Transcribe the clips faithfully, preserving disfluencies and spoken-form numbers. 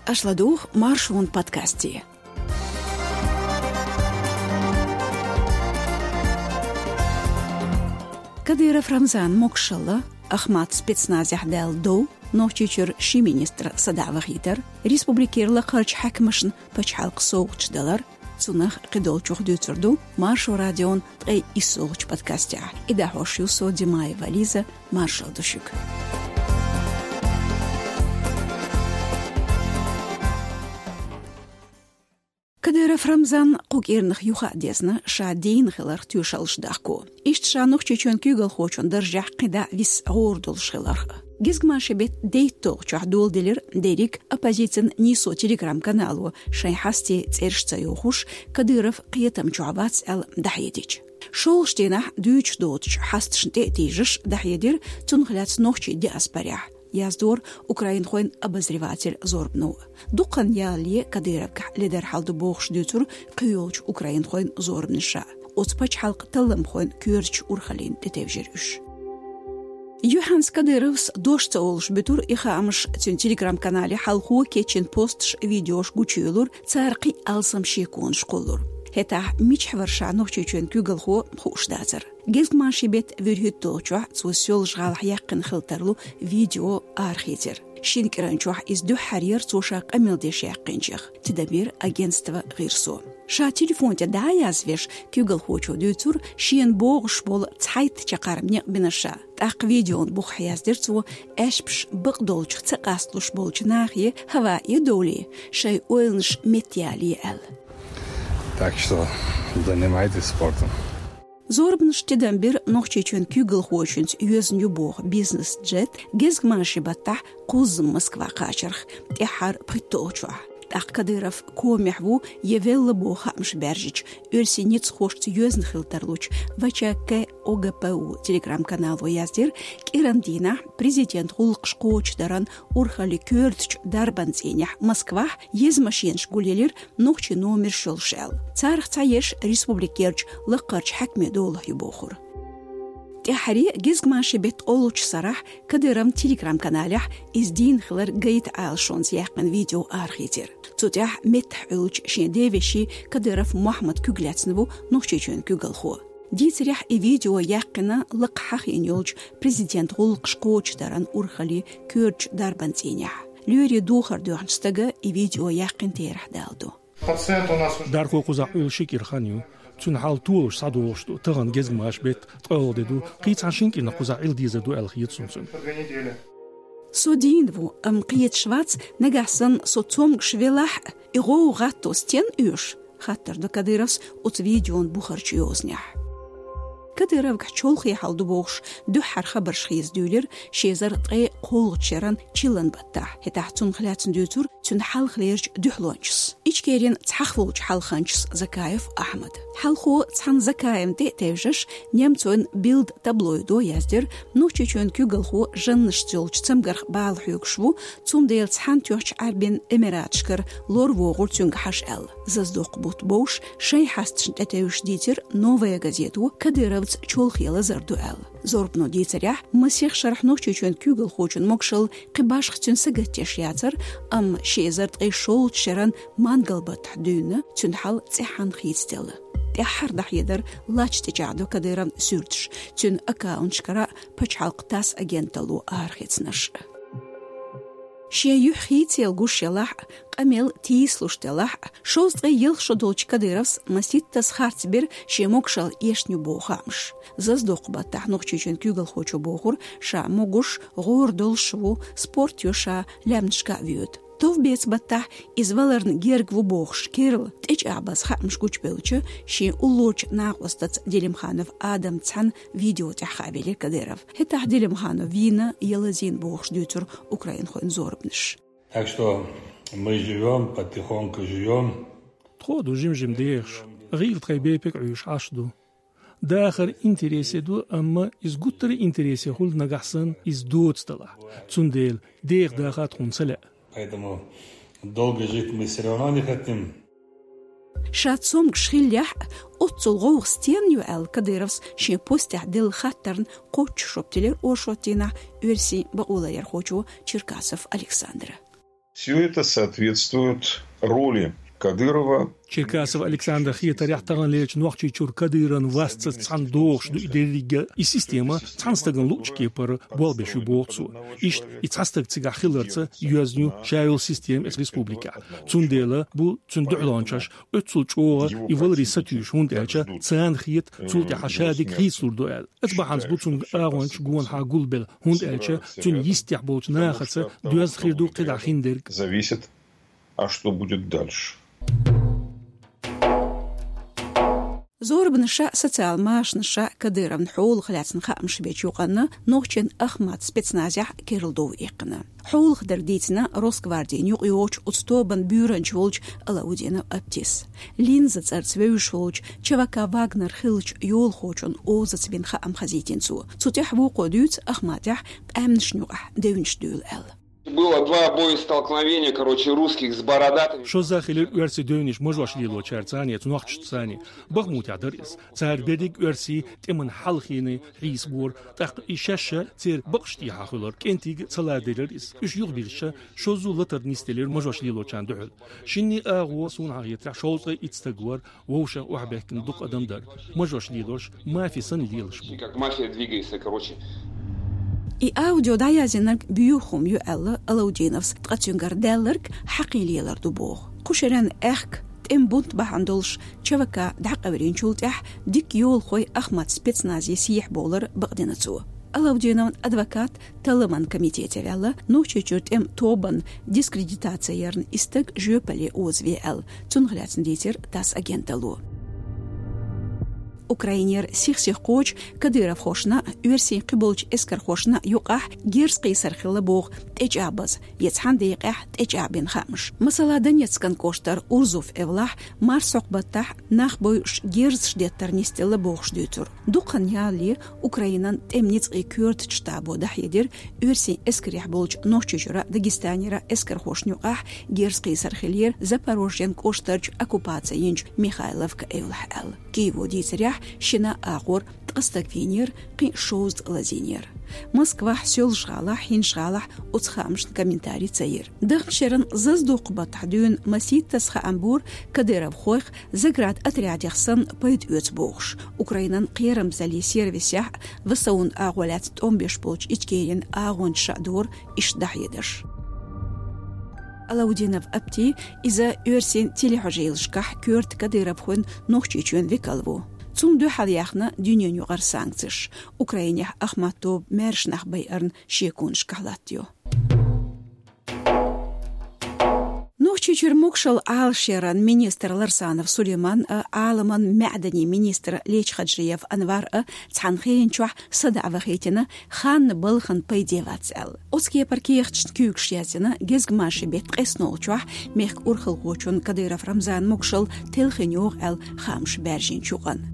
Аша ладугӀу Маршон подкасте. Кадыров Рамзан могушалла, Ахмат спецназехь даьлла дов, Нохчийчуьра ши министр садоӀа вахийтар, республикера лакхарчу хьаькамашна пачхьалкхан совгӀаташ далар, цунах кхидолчух дуьйцур ду Маршо радион ткъе иссолгӀачу подкастехь. И дӀахьош ю со, Димаева Лиза, маршалла ду шуьга. Кадыров Рамзан кху кӀирнах юха а дезна, ша дийна хиларх тоьшаллаш дахко. Иштта ша Нохчийчоьнан куьйгалхочун даржехь кхидӀа виса гӀора долуш хиларх. Гезгмашин беттан дейтталгӀачохь доладелира дерриг оппозицин нийсо телеграм-канало, шайн хьастий цӀераш ца йохуш, Кадыров кхетам чохь вац аьлла дӀахьедича. ШолгӀачу дийнахь дуьйцуш доцучу хьасташна тӀе а тийжаш дӀахьедира цунах лаьцна нохчийн диаспорехь, яздора украинхойн обозреватель Зорбано. Дукха хан ялале Кадыровгахь ледар хьал ду бохуш дуьйцура кхийолчу украинхойн зорбанаша. Оцу пачхьалкхан талламхойн коьртачу урхаллина тӀетевжира уьш. Юьхьанца Кадыровс дош ца олуш буьтура и хаамаш, цуьнан телеграм-канале хьалхо кечйина посташ, видеош гучуйолура, цара кхин а алсам шеконаш кхуллура. ХӀетахь мичахь вара ша Нохчийчоьнан куьйгалхо хууш дацара. Гезгмашин беттан вуьрхӀитталгӀачохь цо Соьлжа-ГӀалахь яьккхина хила тарлу видео арахецира. Шина кӀиранчохь иза дуьххьара яра цо ша къамел деш яьккхинчех, тидам бира агентство «Гъирсо». Ша телефон тӀе дӀа а язвеш, куьйгалхочо дуьйцура шена богӀуш болу цхьайтта чаккхарма некъ бина ша. ТӀаккха видеон бухахь яздира цо, аьшпаш бакъдолчух ца къасталуш болчу нахе хӀаваъ довлий, шайн ойланаш меттаялий аьлла. Так что занимайтесь спортом. Зорбанаш тидам бира Нохчийчоьнан куьйгалхочуьнца йоьзна ю боху бизнес-джет гезгмашин баттахь кхузза Москва кхачарх, тӀаьххьара пхийтталгӀачохь. ТӀаккха Кадыров комехь ву я велла боху хаамаш баьржича, оьрсийн ницкъахошца йоьзна хила тарлучу В Ч К О Г П У телеграм-канало яздира, кӀиран дийнахь президентан гӀуллакхаш кхочушдаран урхаллин коьртачу дарбан цӀийнехь Москвахь еза машенаш гулъелира нохчийн номерш йолуш аьлла. Царах цхьаерш республикерчу лакхарчу хьаькаме долахь ю бохура. ТӀаьххьара гезгмашин беттан олучу сарахь Кадыровн телеграм-каналехь иза дийна хилар гайта Ӏалашонца яьккхина видео арахецира. Цу тӀехь меттахь Ӏуьллучу шен девешин Кадыров Мухьаммадан куьг лаьцна ву Нохчийчоьнан куьйгалхо. Дийцарехь, и видео яьккхина лакха хьахийна йолчу президентан гӀуллакхаш кхочушдаран урхаллин коьртачу дарбан цӀийнехь. Лоьрийн духар доьхначу стага и видео яьккхина терахь даладо. Пациент у нас уже. Дархо кхузахь Ӏуьллуш ши кӀира хан ю. Цуьнан хьал толуш схьадогӀуш ду, тахана гезгмашин беттан ткъолгӀа де ду, кхин цхьана шина кӀирнах кхузахь Ӏилла дезар ду аьлла хета суна цуьнан. Со дийна ву, амма кхеташ вац, нагахь санна со цомгуш велахь а, и гӀовгӀа гӀатто стенна оьшу, хаттар до Кадыровс оцу видеон бухарчу йозанехь. Кадыровгахь чолхе хьал ду бохуш дуьххьара хабарш хеза дуьйлира ши эзар ткъе кхоалгӀачу шеран чиллан баттахь. ХӀетахь цунах лаьцна дуьйцура цуьнан хьалхалерчу дуьхьалончас, Ичкерин цхьахволчу хьалханчас Закаев Ахьмада. Хьалхо цхьана Закаевна тӀе а тевжаш, немцойн Билд таблоидо яздира, Нохчийчоьнан куьйгалхо жаннашца йолчу цамгарх бала хьоьгуш ву, цундела Цхьаьнатоьхначу Ӏаьрбийн Эмираташкара лор вогӀура цуьнга хьажа аьлла. Зазадоккху бутт бовш шайн хьасташна тӀетевжаш дийцира «Новая газета» Кадыровца чолхе лазар ду аьлла. Зорбано дийцарехь, масех шарахь Нохчийчоьнан куьйгалхочун могушалла кхин башха цуьнан сагатдеш яцара, амма ши эзар ткъе шолгӀачу шеран мангал баттахь дуьйна цуьнан хьал цӀеххьана хийцаделла. ТӀаьххьара дӀахьедар лач тӀечӀагӀдо Кадыровн суьрташ, цуьнан аккаунташкара а, пачхьалкхан ТАСС агенталло арахецнарш а. Шен юьхь хийцаялла гуш елахь а, къамел тийсалуш делахь а, шовзткъе ялх шо долчу Кадыровс масийттаза харц бира шен могушалла эшна ю боху хаамаш. Зазадоккху баттахь Нохчийчоьнан куьйгалхочо бохура, ша могуш, гӀора долуш ву, спорт йо ша, лаьмнашка а воьду. Товбеца баттахь иза валарна герга ву бохуш керла, тӀечӀагӀбаза хаамаш гучубевлча, шен уллорчу накъостаца Делимханов Адамца цхьаьна видео тӀехь хаа велира Кадыров. ХӀетахь Делимханов вийна я лазийна бохуш дуьйцура украинхойн зорбанаш. Так что мы живём, потихоньку живём. Тхо а ду жим-жим дехаш, гӀийла тхайн бепиг Ӏуьйш Ӏаш ду. Дахар интересе ду, амма иза гуттара а интересе хуьлу нагахь санна иза доцу делахь. Цундела деха даха тхуна ца лаьа. Поэтому долго жить мы всё равно не хотим. Ша цомгуш хиллехь а, оццул гӀовгӀа стенна ю аьлла, Кадыровс шен постехь делла хаттарна кхоччуш жоп делира оршот дийнахь оьрсийн бакъоларъярхочо Черкасов Александра. Все это соответствует роли Кадырова. Черкасов Александра хетарехь, таханлерчу Нохчийчуьра Кадыровн васца цхьана догӀуш ду и деррига, и система цхьана стагана луъучу кепара болх беш ю, боху цо. Иштта и цхьа стаг цигахь хиларца йоьзна ю ша йолу система эцу республикехь. Цундела бу цуьнан дуьхьалончаш оццул чӀогӀа и валаре сатуьйсуш, хӀунда аьлча царна хета, цул тӀаьхьа ша дика хийцалур ду аьлла. Оцу бахьанца бу цуьнга агӀончаш гонахьа гулбелла, хӀунда аьлча цуьнан йистехь болчу нахаца доьзна хир ду кхидӀа хиндерг. Зависит, а что будет дальше. Зорбанаш а, социал машанаш а Кадыровн хьолах лаьцна хаамаш бечу юкъанна нохчийн Ахмат спецназехь керла дов иккхина. Хьолах дерг дийцина Росгвардин юкъайогӀучу оцу тобан буьйранча волчу Алаудинов Аптис. Линза цӀарца вевзаш волчу ЧВК «Вагнер» хиллачу йолахочун озаца бина хаам хазийтина цо. Цу тӀехь вукхо дуьйцу Ахматехь къаьмнашна юкъахь девнаш дуьйла аьлла. Было два боестолкновения, короче, русских с бородатыми. Шозза хилира оьрсийн девнаш мажош лелочаьрца а, цу нохчашца а. Бахмутехь дара иза. Цара берриг оьрсийн тӀеман хьалхийна хьийсабора, тӀаккха и шаьш а церан бакъаш тӀехьа хуьлура, кӀентий ца ладелира иза. Уьш юхабирзича, шозза латар нисделира мажош лелочарна дуьхьал. Шинний агӀо, суна хетарехь, шовзткъе итт стаг вара, вовшах охьабаьхкина дукха адам дара. Мажош лелош мафи санна лелаш бу. Как мафия двигается, короче. И аудио дӀаяздинарг боьха хӀума ю аьлла Алаудиновс, ткъа цуьнгара даьлларг хьакхин лелар ду боху. Кху шеран аьхка тӀеман бунт бахьана долуш ЧВК дӀакъевлинчул тӀаьхьа дика йолахой Ахмат спецназе сехьа бовлар бакъдина цо. Алаудиновн адвокат талламан комитете ваьлла, Нохчийчуьра тӀеман тобанна дискредитаци ярна и стаг жоьпалле озаве аьлла, цунах лаьцна дийцира ТАСС агенталло. Украинера сих-сиха кхочу кадыровхошна а, оьрсийн кхиболчу эскархошна а юкъахь герз кхийсар хилла боху тӀечӀагӀбаза, я цхьана декъехь тӀечӀагӀбина хаамаш. Масала, Донецкан кӀоштара Урзуф эвлахь марсхьокху баттахь нах бойуш герзаш деттар нисделла бохуш дуьйцура. Дукха хан ялале Украинан тӀеман ницкъийн коьртачу штабо дӀахьедира, оьрсийн эскарехь болчу Нохчийчуьра, Дагестанера эскархошна юкъахь герз кхийсар хиллера Запорожьен кӀоштарчу оккупаци йинчу Михайловка эвлахь аьлла. Киево дийцарехь, шина агӀор ткъа стаг вийнера, кхин шовзткъа лазийнера. Москвахь, Соьлжа-ГӀалахь, ХӀинжа-ГӀалахь оцу хаамашна комментарий ца йира. Даханчу шеран зазадоккху баттахь дуьйна масийттаза хаам бора кадыровхойх, заградотрядех санна пайда оьцу бохуш, Украинан кхерамзаллин сервисехь а, ВСУ-н агӀо лаьцна тӀом беш болчу Ичкерин агӀончаша а дора иштта дӀахьедарш. Алаудинов Апти, иза оьрсийн телехьожийлашкахь коьрта кадыровхойн Нохчийчоьнан векал ву. Цунна дуьхьал яьхна дуьненаюкъара санкцеш, Украинехь Ахмат тоба маьрша нах байарна шеконашкахь латтайо. Нохчийчуьра могушалла Ӏалашъяран министр Ларсанов Сулейман а, Ӏаламан маьӀданийн министр Лечхаджиев Анвар а цхьана хенан чохь садаӀа вахийтина, ханна балхана пайде вац аьлла. Оцу кепара кехаташна куьйгаш яздина гезгмашин беттан ткъеснолгӀачохь мехкан урхалхочун Кадыров Рамзанан могушалла телхина йогӀу аьлла хаамаш баьржинчу юкъанна.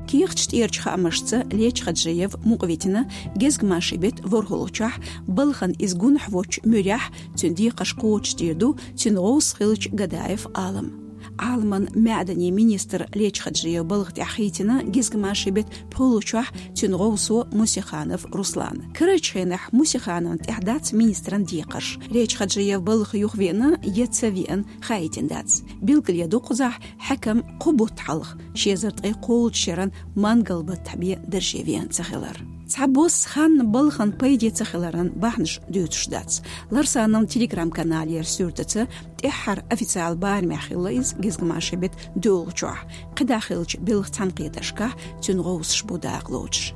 Кехаташ тӀерачу хаамашца Лечхаджиев мукъавитина гезгмашин беттан ворхӀалгӀачохь, балхана иза гунахь воцучу муьрехь, цуьнан декхарш кхочушдийр ду цуьнан гӀовс хиллачу Гадаев Ӏалама. Ӏаламан маьӀданийн министр Лечхаджиев балха тӀехь хийцина гезгмашин беттан пхуьлгӀачохь цуьнан гӀовсо Мусиханов Руслан. Карарчу хенахь Мусихановна тӀехь дац министран декхарш. Лечхаджиев балха юхавеана я ца веана хаийтина дац. Билгалъян ду кхузахь, хьаькам кхо бутт хьалха, ши эзар ткъе кхоалгӀачу шеран мангал баттахь бен дарже веана ца хилар. Цхьабосса ханна балхана пайде ца хиларан бахьанаш дуьйцуш дац. Ларсановн Telegram-каналера суьртаца, тӀаьххьара официал барамехь хилла иза гезгмашин беттан доьалгӀачохь, кхидӀа хиллачу белхан цхьаьнакхетаршкахь цуьнан гӀовсаш бу дакъа лоцуш.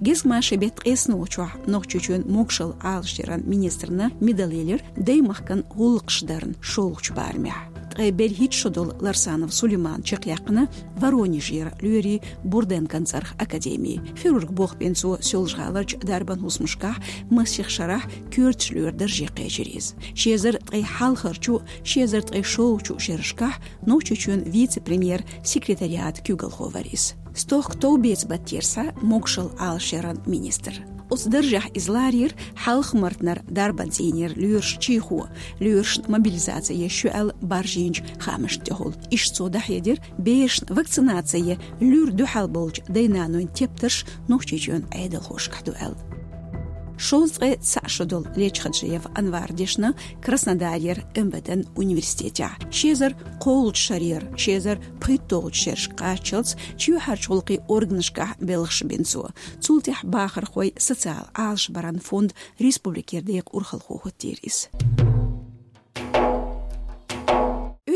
Гезгмашин беттан ткъеснолгӀачохь Нохчийчоьнан могушалла Ӏалашъяран министрна медал елира даймахкан гӀуллакхаш дарна шолгӀачу барамехь. Ткъе берхӀитта шо долу Ларсанов Сулейман чекхъяьккхина Воронежера лоьрийн Бурденкон цӀарах академи. Хирург болх бина цо Соьлжа-ГӀаларчу дарбан хӀусамашкахь, масех шарахь коьртачу лоьран дарже кхечира иза. Ши эзар ткъе хьалхарчу, ши эзар ткъе шолгӀачу шерашкахь Нохчийчоьнан вице-премьер-секретариатан куьйгалхо вара иза. Стохка товбеца баттера схьа могушалла Ӏалашъяран министр. Оцу даржехь иза ларийра Хьалха-Мартанара дарбан цӀийнера лоьраш Чийхо, лоьрашна мобилизаци еш ю аьлла баржийначу хаамашна тӀехула. Иштта цо дӀахьедира берашна вакцинаци я луьра дуьхьал болчу дай-нанойн тептарш Нохчийчоьнан Ӏедалхошкахь ду аьлла. Шовзткъе цхьаъ шо долу Лечхаджиев Анвара дешна Краснодарера МВД-н университетехь. Ши эзар кхоалгӀачу шарера ши эзар пхийтталгӀачу шерашка кхаччалц чоьхьарчу гӀуллакхийн органашкахь белхаш бина цо. Цул тӀаьхьа бахархой, социал Ӏалашбаран фонд республикера декъа урхалхо хӀоттийра иза.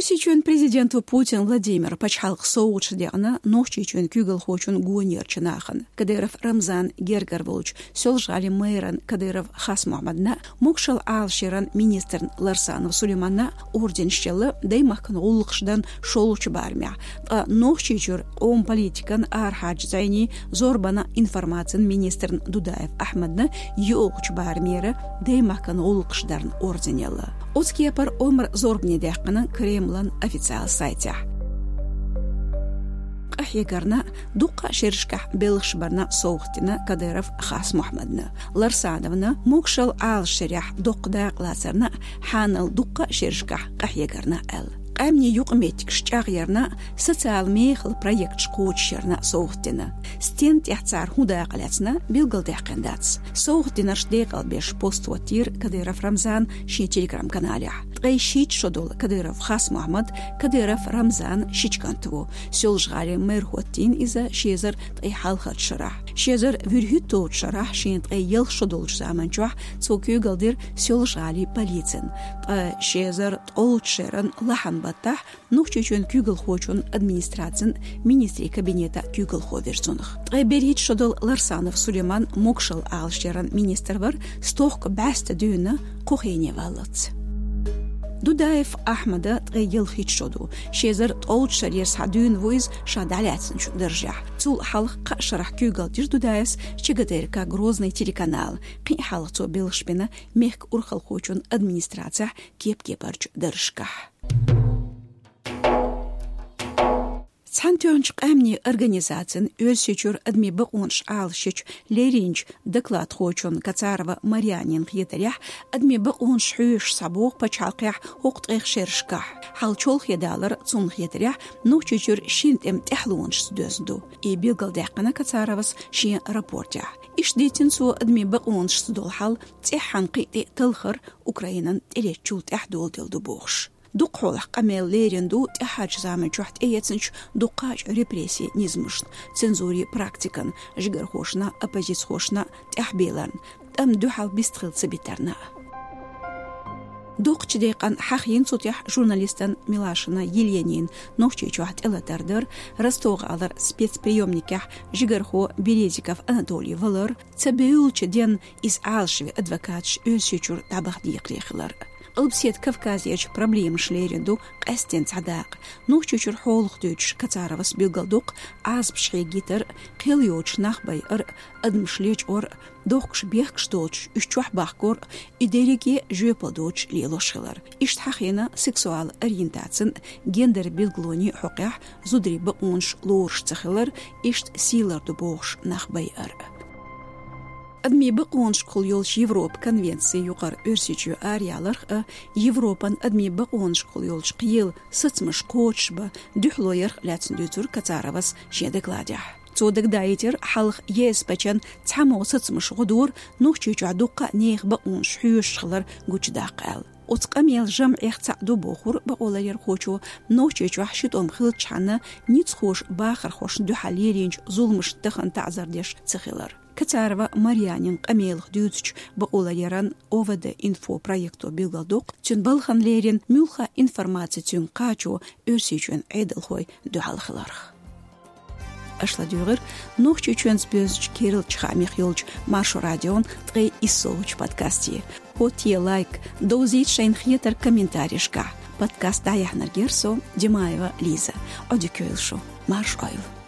Оьрсийчоьнан президента Путин Владимира пачхьалкхан совгӀаташ декъна Нохчийчоьнан куьйгалхочун гонерчу нахана. Кадыров Рамзан гергара волчу Соьлжа-ГӀалин мэран Кадыров Хас-Мухьаммадна, Могашалла Ӏалашъяран министрна Ларсанов Сулейманна орденаш елла Даймахкан гӀуллакхаш даран шолгӀачу барамехь, ткъа Нохчийчуьра къоман политикан, арахьарчу зӀенийн, зорбанан, информацин министрна Дудаев Ахьмадна йоьалгӀачу барамера Даймахкан гӀуллакхаш даран орден елла. Оцу кепара омра зорбане даьккхина Кремлан официал сайтехь. Къахьегарна, дуккха а шерашкахь белхаш барна совгӀат дина Кадыров Хас-Мухьаммадна. Ларсановна могашалла Ӏалашъярехь доккха дакъа лацарна, хьанал дуккха а шерашкахь къахьегарна аьлла. Къаьмнийн юкъаметтигаш чӀагӀъярна, социал мехала проекташ кхочушъярна совгӀат дина. Стенна тӀехь цара хӀун дакъа лаьцна, билгалдаьккхина дац. СовгӀат динарш декъалбеш пост хӀоттийра Кадыров Рамзана шен Telegram-каналехь. Ткъе шийтта шо долу Кадыров Хас-Мухьаммад Кадыров Рамзанан шича кӀант ву. Соьлжа-ГӀалин мэр хӀоттийна иза ши эзар ткъе хьалхарчу шарахь. Ши эзар вуьрхӀитталгӀачу шарахь шен ткъе ялх шо долчу заман чохь цо куьйгалла дира Соьлжа-ГӀалин полицина. Ткъа ши эзар ткъолгӀачу шеран лахьан баттахь Нохчийчоьнан куьйгалхочун администрацин министрийн кабинета куьйгалхо вира цунах. Ткъе берхӀитта шо долу Ларсанов Сулейман могашалла Ӏалашъяран министр вара, стохка бӀаьста дуьйна кху хене валлалц. Дудаев Ахьмада ткъе ялхитта шо ду. Ши эзар ткъолгӀачу шарера схьа дуьйна ву иза ша дӀалаьцначу даржехь. Цул хьалха кхаа шарахь куьйгалла дира Дудаевс ЧГТРК Грозный телеканала. Кхин а хьалха цо белхаш бина мехкан урхалхочун администрацехь кеп-кепарчу даржашкахь. Цхьаьнатоьхначу Къаьмнийн Организацин Оьрсийчуьра адамийн бакъонаш Ӏалашъечу лерринчу докладхочун Кацарова Марьянин хетарехь, адамийн бакъонаш хьоьшуш схьабогӀу пачхьалкхехь хӀокху ткъех шерашкахь. Хьал чолхе далар, цунна хетарехь, Нохчийчуьра шина тӀеман тӀаьхьалонашца доьзна ду. И билгалдаьккхина Кацаровас шен рапортехь. Иштта дийцина цо, адамийн бакъонашца долу хьал цӀеххьана кхин а тӀе талхар Украинан тӀелеттачул тӀаьхьа доладелла ду бохуш. Дукхахьолахь къамел лерина ду тӀаьххьарчу заман чохь тӀеэцначу дуккхачу репрессийн низамашна, цензурин практикана, жигархошна, оппозицхошна тӀаьхьабийларна, тӀамна дуьхьал бистхила ца битарна. Доккхачу декъана хьахийна цу тӀехь журналистан Милашина Еленин Нохчийчохь тӀелатар дар, Ростов-гӀалара спецприёмникехь жигархо Березиков Анатолий валар, ца бевллачу денна иза Ӏалашве адвокаташ Оьрсийчуьра дӀабаха декхаре хилар. Къилбаседа Кавказерчу проблемаш лерина ду къаьсттина цхьа дакъа. Нохчийчуьра хьолах дуьйцуш Кацаровас билгалдоккху Ӏазапаш хьегийтар, кхел йоцуш нах байар, адамаш лечкъор, дохкуш бехкаш доцуш уьш чохь бахкор, и дерриге жоьпалла доцуш лелош хилар. Иштта хьахийна сексуал ориентацин, гендер билгалонийн хьокъехь зударийн бакъонаш лоруш ца хилар, иштта сий ларду бохуш нах байар. Адамийн бакъонашкахула йолчу Европан конвенцин юкъара Оьрсийчоь араяьлларх а, Европан адамийн бакъонашкахула йолчу кхелан сацамаш кхочушбан дуьхьало ярх а лаьцна дуьйцура Кацаровас шен докладехь. Цо дагадаийтира, хьалха ЕСПЧ-н цхьаммо сацамаш гӀо дора Нохчийчохь дуккха а нехан бакъонаш хьоьшуш хилар гучудаккха аьлла. Оцу къамелан жамӀех цхьаъ ду бохура бакъоларъярхочо Нохчийчохь ши тӀом хиллачхьана ницкъахоша бахархошна дуьхьал лелийначу зуламашна тахана таӀзар деш ца хилар. Кацарова Марьянин къамелах дуьйцучу бакъоларъяран ОВД-Инфо проекто билгалдоккху цуьнан балхана леррина муьлхха а информаци цуьнга кхачо Оьрсийчоьнан Ӏедалхой дуьхьал хиларх. Аша ладуьйгӀира Нохчийчоьнца боьзначу керлачу хаамех йолчу Маршо радион ткъе иссолгӀачу подкасте. ХӀоттае лайк, довзийта шайна хетарг комментарийшкахь. Подкаст дӀаяьхьнарг яра со, Димаева Лиза. Ӏодика йойла шу. Марша Ӏойла.